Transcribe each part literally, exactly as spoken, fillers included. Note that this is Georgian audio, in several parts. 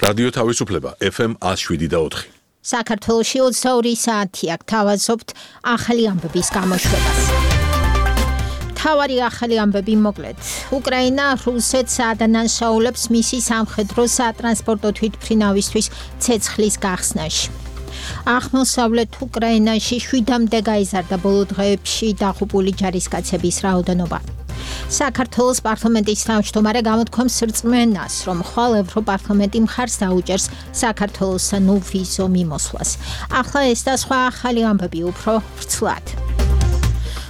რადიო თავისუფლება ეფ ემ one oh seven და four. საქართველოში ოცდაორი საათია გთავაზობთ ახალი ამბების გამოშვებას. თავარი ახალი ამბები მოკლედ. უკრაინა რუსეთს ადანაშაულებს მისი სამხედრო სატრანსპორტო თვითმფრინავისთვის ცეცხლის გახსნაში. აღმოსავლეთ უკრაინაში შვიდამდე გაიზარდა ბოლო დღეებში დაღუპული ჯარისკაცების რაოდენობა. საქართველოს პარლამენტის თავმჯდომარე გამოთქვამს რწმენას, რომ ხვალ ევროპარლამენტი მხარს დაუჭერს საქართველოსთან ვიზო მიმოსვლას. ახლა ეს და სხვა ახალი ამბები უფრო ვრცლად.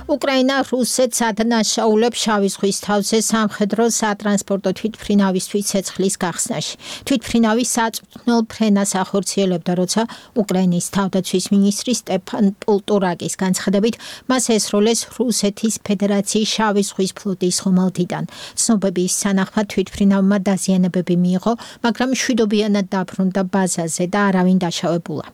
უკრაინა რუსეთს ადანაშაულებს შავი ზღვის თავზე სამხედრო სატრანსპორტო თვითმფრინავისთვის ცეცხლის გახსნაში. თვითმფრინავი საწვრთნელ ფრენას ახორციელებდა, როცა უკრაინის თავდაცვის მინისტრი სტეფან პოლტორაკის განცხადებით მას ესროლეს რუსეთის ფედერაციის შავი ზღვის ფლოტის ხომალდიდან. ცნობების თანახმად თვითმფრინავმა დაზიანებები მიიღო, მაგრამ მშვიდობიანად დაბრუნდა ბაზაზე და არავინ დაშავებულა.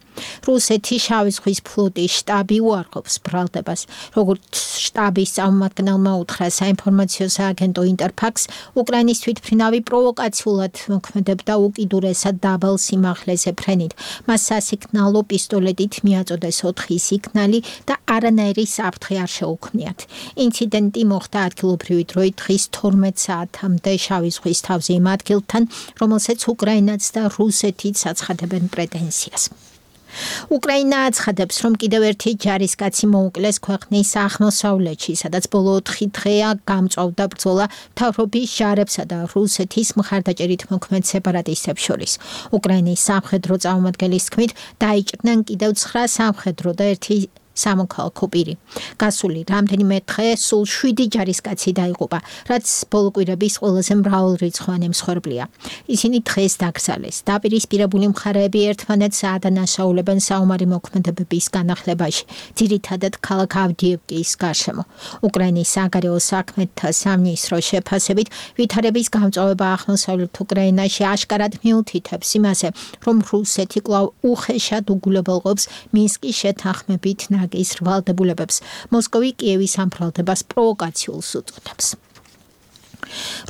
რუსეთის შავი ზღვის ფლოტის შტაბი უარყოფს ბრალდებას, როგორც შტაბის წარმომადგენელმა უთხრა საინფორმაციო სააგენტო ინტერფაქს, უკრაინის თვითმფრინავი პროვოკაციულად მოქმედებდა უკიდურესად დაბალ სიმაღლეზე ფრენით. მას სასიგნალო პისტოლეტით მიაწოდეს ოთხი სიგნალი და არანაირი საფრთხე არ შეუქმნიათ. ინციდენტი მოხდა ადგილობრივი დროით დღის თორმეტ საათამდე შავი ზღვის თავზე იმ ადგილთან, რომელსაც უკრაინაც და რუსეთიც აცხადებენ პრეტენზიას. უკრაინა აცხადებს, რომ კიდევ ერთი ჯარისკაცი მოუკლეს ქვეყნის აღმოსავლეთში, სადაც ბოლო ოთხი დღეა გამწვავდა ბრძოლა მთავრობის ჯარებსა და რუსეთის მხარდაჭერით მოქმედ სეპარატისტებს შორის. უკრაინის სამხედრო წარმომადგენლის თქმით, დაიჭრნენ კიდევ ცხრა სამხედრო და ერთი სამოქალაქო პირი. გასული რამდენიმე დღე სულ შვიდი ჯარისკაცი დაიღუპა, რაც ბოლო კვირების ყველაზე მრავალრიცხოვანი მსხვერპლია. ისინი დღეს დაკრძალეს. დაპირისპირებული მხარეები ერთმანეთს აადანაშაულებენ საომარი მოქმედებების განახლებაში, ძირითადად ქალაქ ავდიევკის გარშემო. უკრაინის საგარეო საქმეთა სამინისტროს შეფასებით, ვითარების გამწვავება აღმოსავლეთ უკრაინაში აშკარად მიუთითებს იმაზე, რომ რუსეთი კვლავ უხეშად უგულებელყოფს მინსკის შეთანხმებით ნაგის რვალდებულებებს. მოსკოვი კიევის ამ ბრალდებას პროვოკაციულს უწოდებს.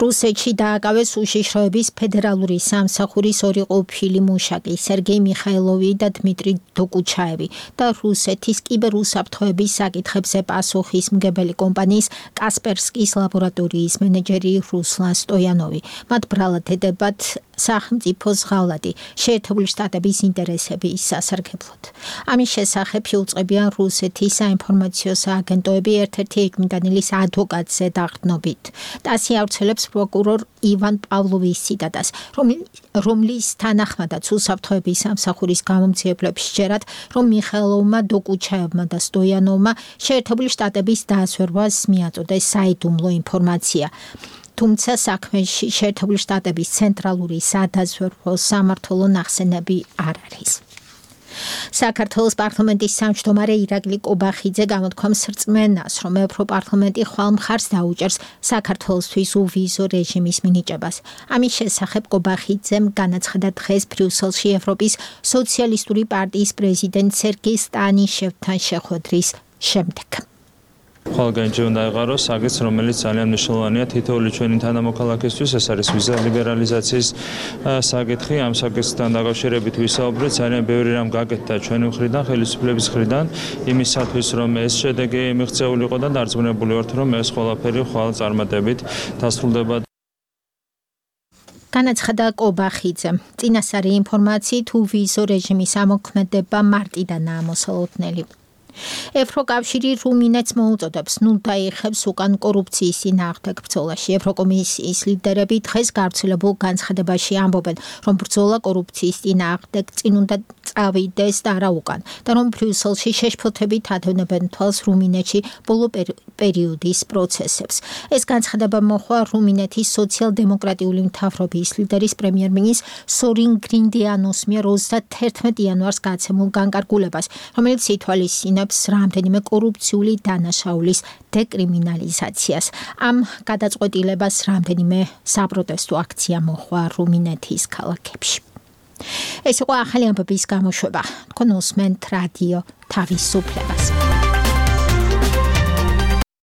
რუსეთში დააკავეს უშიშროების ფედერალური სამსახურის ორი ყოფილი მუშაკი, სერგეი მიხაილოვი და დმიტრი დოკუჩაევი და რუსეთის კიბერუსაფრთხოების საკითხებზე პასუხისმგებელი კომპანიის კასპერსკის ლაბორატორიის მენეჯერი რუსლან სტოიანოვი. მათ ბრალად ედებათ სახელმწიფო ზღავლადი, შეერთებული შტატების ინტერესების სასარგებლოდ. ამის შესახებ იუწყებიან რუსეთის საინფორმაციო სააგენტოები ერთ-ერთი ეჭვმიტანილის ადვოკატზე დაყრდნობით. ტასი ავრცელებს პროკურორ ივან პავლოვის ციტატას, რომლის თანახმადაც უსაფრთხოების სამსახურის გამომძიებლებს სჯერათ, რომ მიხაილოვმა, დოკუჩაევმა და სტოიანოვმა შეერთებული შტატების დაასვერვას მიაწოდეს საიდუმლო ინფორმაცია. თუმცა საქმეში შეერთებული შტატების ცენტრალური სადაზვერვო სამმართველო ნახსენები არ არის. საქართველოს პარლამენტის თავმჯდომარე ირაკლი კობახიძე გამოთქვამს რწმენას, რომ ევროპარლამენტი ხვალ მხარს დაუჭერს საქართველოსთვის უვიზო რეჟიმის მინიჭებას. ამის შესახებ კობახიძემ განაცხადა დღეს ბრიუსელში ევროპის სოციალისტური პარტიის პრეზიდენტ სერგეი სტანიშევთან შეხვედრის შემდეგ. ხვალგანჯე უნდა ეყაროს აგეც, რომელიც ძალიან მნიშვნელოვანია თითოეული ჩვენი თანამოქალაქისთვის, ეს არის ვიზა ლიბერალიზაციის საკითხი. ამ საკითხთან დაკავშირებით ვისაუბრეთ, ძალიან ბევრი რამ გაკეთდა ჩვენი მხრიდან, ხელისუფლების მხრიდან, იმისათვის, რომ ეს შედეგი მიღწეული იყო და დარწმუნებული ვართ, რომ ეს ყველაფერი ხვალ წარმატებით დასრულდება. განაცხადა კობახიძემ. წინასწარი ინფორმაციით უვიზო რეჟიმის ამოქმედება მარტიდანაა მოსალოდნელი. ევროკავშირი რუმინეთს მოუწოდებს ნუ დაიხებს უკან კორუფციის წინააღმდეგ ბრძოლაში. ევროკომისიის ლიდერები დღეს გავრცელებულ განცხადებაში ამბობენ, რომ ბრძოლა კორუფციის წინააღმდეგ წინ უნდა წავიდეს და არა უკან და რომ ბრიუსელში შეშფოთებით ადევნებენ თვალს რუმინეთში ბოლო პერიოდის პროცესებს. ეს განცხადება მოხდა რუმინეთის სოციალ-დემოკრატიული მთავრობის ლიდერის პრემიერ-მინისტრ სორინ გრინდიანოს მიერ ოცდაათერთმეტ იანვარს გაცემულ განკარგულებას, რომელიც ითვალისწინებს რამდენიმე კორუფციული დანაშაულის დეკრიმინალიზაციას. ამ გადაწყვეტილებას რამდენიმე საპროტესტო აქცია მოხდა რუმინეთის ქალაქებში. ეს იყო ახალი ამბების გამოშვება. თქვენ უსმენთ რადიო თავისუფლებას.